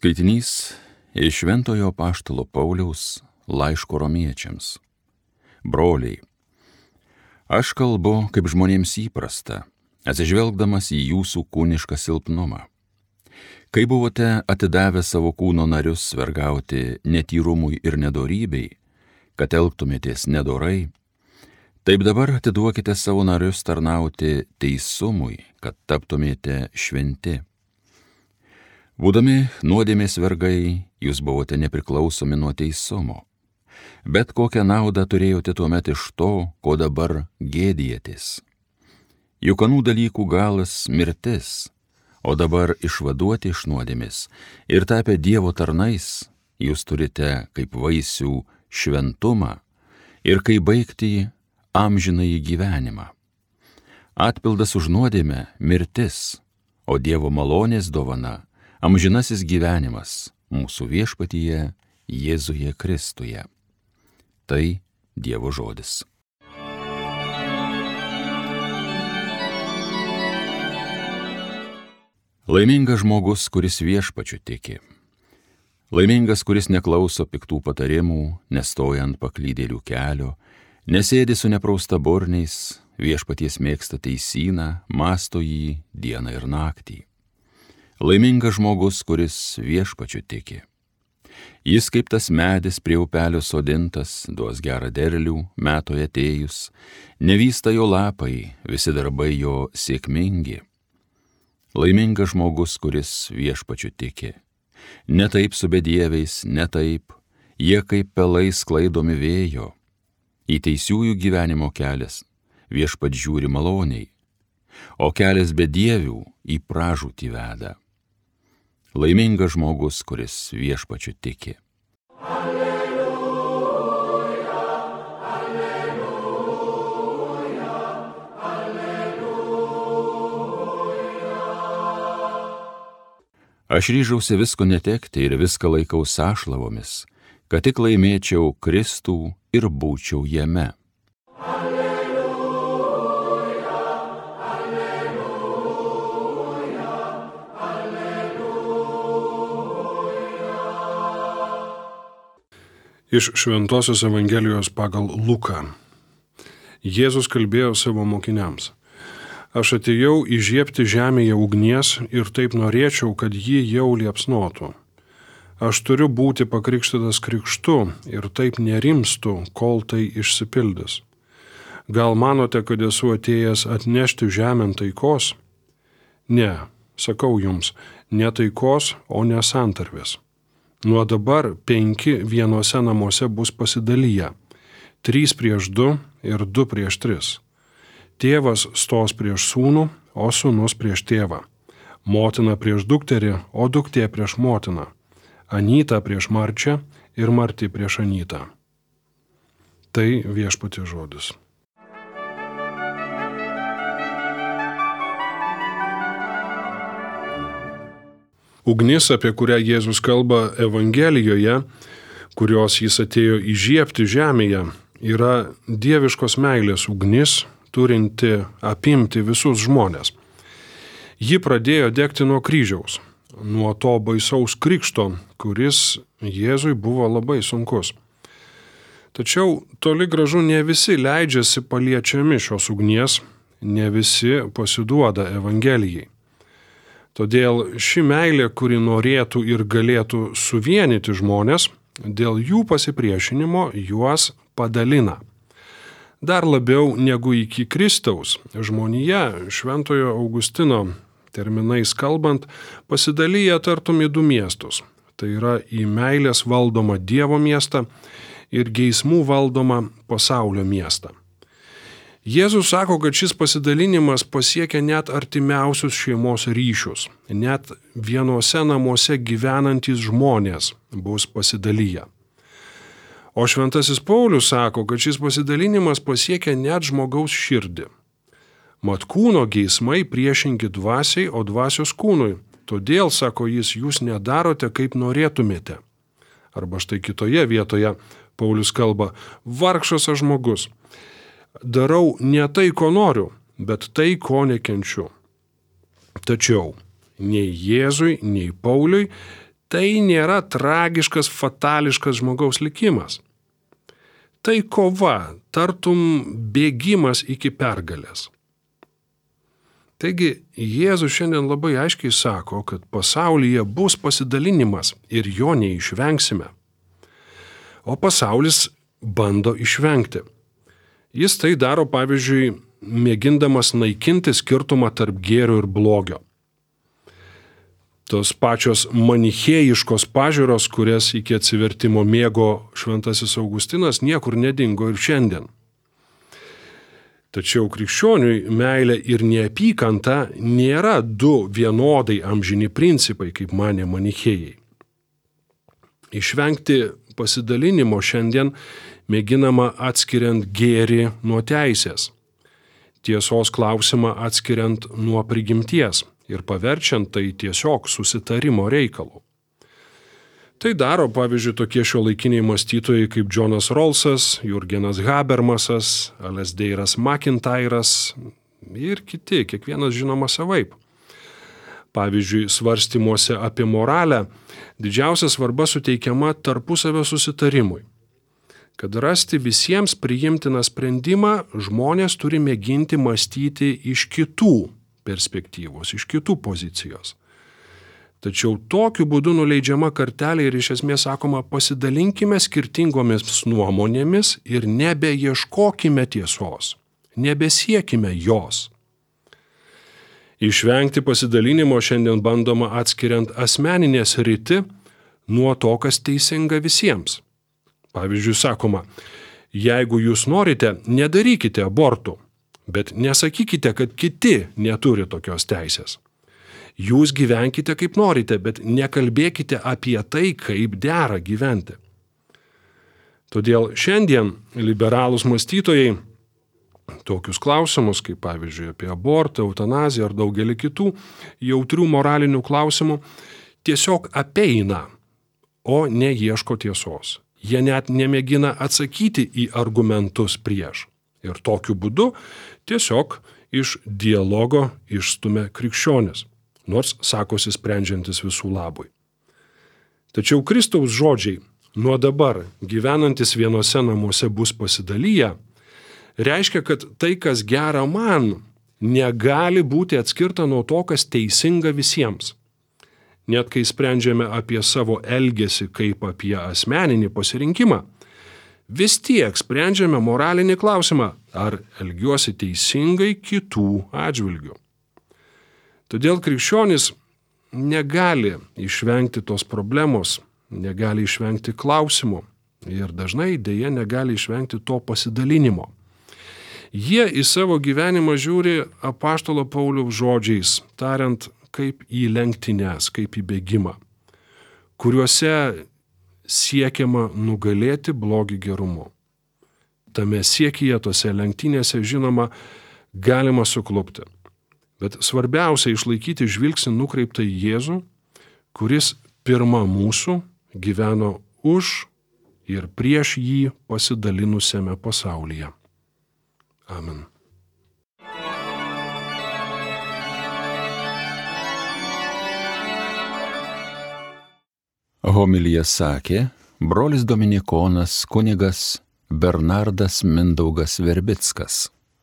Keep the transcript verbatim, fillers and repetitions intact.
Skaitinys iš Šventojo Apaštalo Pauliaus laiško romiečiams. Broliai, aš kalbu, kaip žmonėms įprasta, atsižvelgdamas į jūsų kūnišką silpnumą. Kai buvote atidavę savo kūno narius vergauti netyrumui ir nedorybei, kad elgtumėtės nedorai, taip dabar atiduokite savo narius tarnauti teisumui, kad taptumėte šventi. Būdami nuodėmės vergai, jūs buvote nepriklausomi nuo teisumo. Bet kokią naudą turėjote tuomet iš to, ko dabar gėdijatės. Juk anų dalykų galas mirtis, o dabar išvaduoti iš nuodėmės ir tapę Dievo tarnais, jūs turite kaip vaisių šventumą ir kaip baigti amžinąjį gyvenimą. Atpildas už nuodėmę mirtis, o Dievo malonės dovana amžinasis gyvenimas mūsų viešpatyje Jėzuje Kristuje. Tai Dievo žodis. Laimingas žmogus, kuris viešpačiu tiki. Laimingas, kuris neklauso piktų patarimų, nestoja ant paklydėlių kelio, nesėdi su nepraustaburniais, viešpaties mėgsta teisyną, mąsto jį dieną ir naktį. Laimingas žmogus, kuris viešpačiu tiki. Jis kaip tas medis prie upelio sodintas, duos gerą derlių, metui atėjus, nevysta jo lapai, visi darbai jo sėkmingi. Laimingas žmogus, kuris viešpačiu tiki. Ne taip su bedieviais, ne taip, jie kaip pelai sklaidomi vėjo. Į teisiųjų gyvenimo kelias viešpat žiūri maloniai, o kelias bedievių į pražūtį veda. Laimingas žmogus, kuris viešpačiu tiki. Alleluja, alleluja, alleluja. Aš ryžausi visko netekti ir viską laikau sąšlavomis, kad tik laimėčiau Kristų ir būčiau jame. Iš Šventosios Evangelijos pagal Luką. Jėzus kalbėjo savo mokiniams. Aš atėjau įžiebti žemėje ugnies ir taip norėčiau, kad ji jau liepsnotų. Aš turiu būti pakrikštytas krikštu ir taip nerimstu, kol tai išsipildys. Gal manote, kad esu atėjęs atnešti žemėn taikos? Ne, sakau jums, ne taikos, o ne santarvės. Nuo dabar penki vienuose namuose bus pasidalyję, trys prieš du ir du prieš tris. Tėvas stos prieš sūnų, o sūnus prieš tėvą. Motina prieš dukterį, o duktė prieš motiną. Anyta prieš marčią ir marti prieš anytą. Tai viešpaties žodis. Ugnis, apie kurią Jėzus kalba Evangelijoje, kurios jis atėjo įžiebti žemėje, yra dieviškos meilės ugnis, turinti apimti visus žmones. Ji pradėjo degti nuo kryžiaus, nuo to baisaus krikšto, kuris Jėzui buvo labai sunkus. Tačiau toli gražu ne visi leidžiasi paliečiami šios ugnies, ne visi pasiduoda Evangelijai. Todėl ši meilė, kuri norėtų ir galėtų suvienyti žmonės, dėl jų pasipriešinimo juos padalina. Dar labiau negu iki Kristaus, žmonija Šventojo Augustino terminais kalbant pasidalyja tartum į du miestus. Tai yra į meilės valdomą Dievo miestą ir geismų valdomą pasaulio miestą. Jėzus sako, kad šis pasidalinimas pasiekia net artimiausius šeimos ryšius, net vienuose namuose gyvenantys žmonės bus pasidalyję. O Šventasis Paulius sako, kad šis pasidalinimas pasiekia net žmogaus širdį. Mat kūno geismai priešingi dvasiai, o dvasios kūnui. Todėl, sako jis, jūs nedarote, kaip norėtumėte. Arba štai kitoje vietoje Paulius kalba, vargšas aš žmogus. Darau ne tai, ko noriu, bet tai, ko nekenčiu. Tačiau nei Jėzui, nei Pauliui Tai nėra tragiškas, fatališkas žmogaus likimas. Tai kova, tartum bėgimas iki pergalės. Taigi Jėzus šiandien labai aiškiai sako, kad pasaulyje bus pasidalinimas ir jo neišvengsime. O pasaulis bando išvengti. Jis tai daro, pavyzdžiui, mėgindamas naikinti skirtumą tarp gėrio ir blogio. Tos pačios manichėjiškos pažiūros, kurias iki atsivertimo mėgo šventasis Augustinas, niekur nedingo ir šiandien. Tačiau krikščioniui meilė ir neapykanta nėra du vienodai amžini principai, kaip manė manichėjai. Išvengti pasidalinimo šiandien mėginama atskiriant gėrį nuo teisės, tiesos klausimą atskiriant nuo prigimties ir paverčiant tai tiesiog susitarimo reikalu. Tai daro, pavyzdžiui, tokie šiuolaikiniai mąstytojai kaip Džonas Rolsas, Jurgenas Habermasas, Alasdairas MacIntyras ir kiti, kiekvienas žinoma savaip. Pavyzdžiui, svarstymuose apie moralę didžiausia svarba suteikiama tarpusavio susitarimui. Kad rasti visiems priimtiną sprendimą, žmonės turi mėginti mąstyti iš kitų perspektyvos, iš kitų pozicijos. Tačiau tokiu būdu nuleidžiama kartelė ir iš esmės sakoma, pasidalinkime skirtingomis nuomonėmis ir nebeieškokime tiesos, nebesiekime jos. Išvengti pasidalinimo šiandien bandoma atskiriant asmeninę sritį nuo to, kas teisinga visiems. Pavyzdžiui, sakoma, jeigu jūs norite, nedarykite abortų, bet nesakykite, kad kiti neturi tokios teisės. Jūs gyvenkite kaip norite, bet nekalbėkite apie tai, kaip dera gyventi. Todėl šiandien liberalūs mąstytojai tokius klausimus, kaip pavyzdžiui apie abortą, eutanaziją ar daugelį kitų jautrių moralinių klausimų, tiesiog apeina, o neieško tiesos. Jie net nemėgina atsakyti į argumentus prieš. Ir tokiu būdu tiesiog iš dialogo išstumia krikščionis, nors sakosi sprendžiantis visų labui. Tačiau Kristaus žodžiai, nuo dabar gyvenantis vienose namuose bus pasidalyję, reiškia, kad tai, kas gera man, negali būti atskirta nuo to, kas teisinga visiems. Net kai sprendžiame apie savo elgesį kaip apie asmeninį pasirinkimą, vis tiek sprendžiame moralinį klausimą, ar elgiuosi teisingai kitų atžvilgių. Todėl krikščionis negali išvengti tos problemos, negali išvengti klausimų ir dažnai dėja negali išvengti to pasidalinimo. Jie į savo gyvenimą žiūri apaštalo Pauliaus žodžiais, tariant kaip į lenktynes, kaip į bėgimą, kuriuose siekiama nugalėti blogį gerumu. Tame siekyje, tose lenktynėse, žinoma, galima suklupti. Bet svarbiausia išlaikyti žvilgsnį nukreiptą į Jėzų, kuris pirma mūsų gyveno už ir prieš jį pasidalinusiame pasaulyje. Amen. Homiliją sakė brolis dominikonas kunigas Bernardas Mindaugas Verbickas.